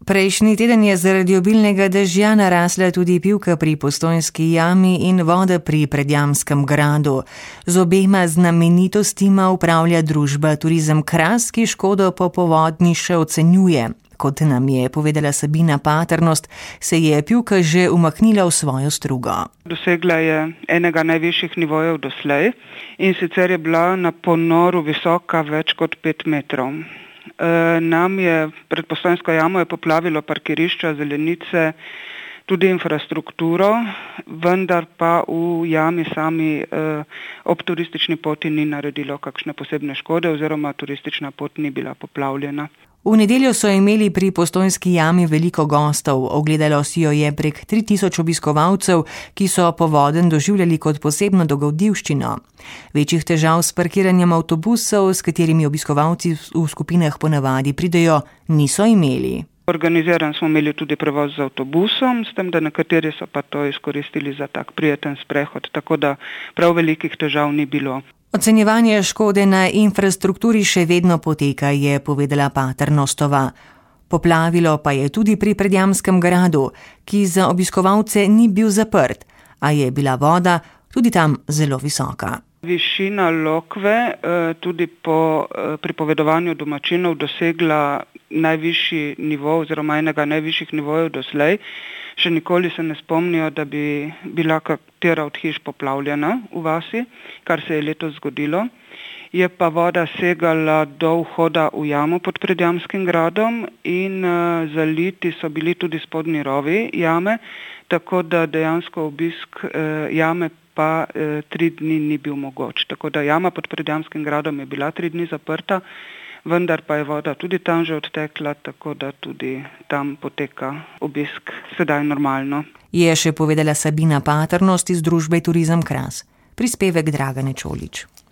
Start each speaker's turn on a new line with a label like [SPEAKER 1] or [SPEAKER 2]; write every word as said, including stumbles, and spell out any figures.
[SPEAKER 1] Prejšnji teden je zaradi obilnega dežja narasla tudi Pivka pri Postojnski jami in voda pri Predjamskem gradu. Z obema znamenitostima upravlja družba Turizem Kras, ki škodo po povodnji še ocenjuje. Kot nam je povedala Sabina Paternost, se je Pivka že umaknila v svojo strugo.
[SPEAKER 2] Dosegla je enega najvišjih nivojev doslej in sicer je bila na ponoru visoka več kot pet metrov. E, nam je pred Postojnsko jamo je poplavilo parkirišča, zelenice, tudi infrastrukturo, vendar pa v jami sami e, ob turistični poti ni naredilo kakšne posebne škode oziroma turistična pot ni bila poplavljena.
[SPEAKER 1] V nedeljo so imeli pri Postojnski jami veliko gostov, ogledalo si jo je prek tri tisoč obiskovalcev, ki so povodenj doživljali kot posebno dogodivščino. Večjih težav s parkiranjem avtobusov, s katerimi obiskovalci v skupinah ponavadi pridejo, niso imeli.
[SPEAKER 2] Organiziran smo imeli tudi prevoz z avtobusom, s tem, da nekateri so pa to izkoristili za tak prijeten sprehod, tako da prav velikih težav ni bilo.
[SPEAKER 1] Ocenjevanje škode na infrastrukturi še vedno poteka, je povedala Paternostova. Poplavilo pa je tudi pri Predjamskem gradu, ki za obiskovalce ni bil zaprt, a je bila voda tudi tam zelo visoka.
[SPEAKER 2] Višina Lokve tudi po pripovedovanju domačinov dosegla najvišji nivo oziroma enega najvišjih nivojev doslej. Še nikoli se ne spomnijo, da bi bila katera od hiš poplavljena v vasi, kar se je letos zgodilo. Je pa voda segala do vhoda v jamo pod Predjamskim gradom in uh, zaliti so bili tudi spodnji rovi jame, tako da dejansko obisk uh, jame pa uh, tri dni ni bil mogoč. Tako da jama pod Predjamskim gradom je bila tri dni zaprta, vendar pa je voda tudi tam že odtekla, tako da tudi tam poteka obisk sedaj normalno.
[SPEAKER 1] Je še povedala Sabina Paternost iz družbe Turizem Kras. Prispevek Dragane Čolič.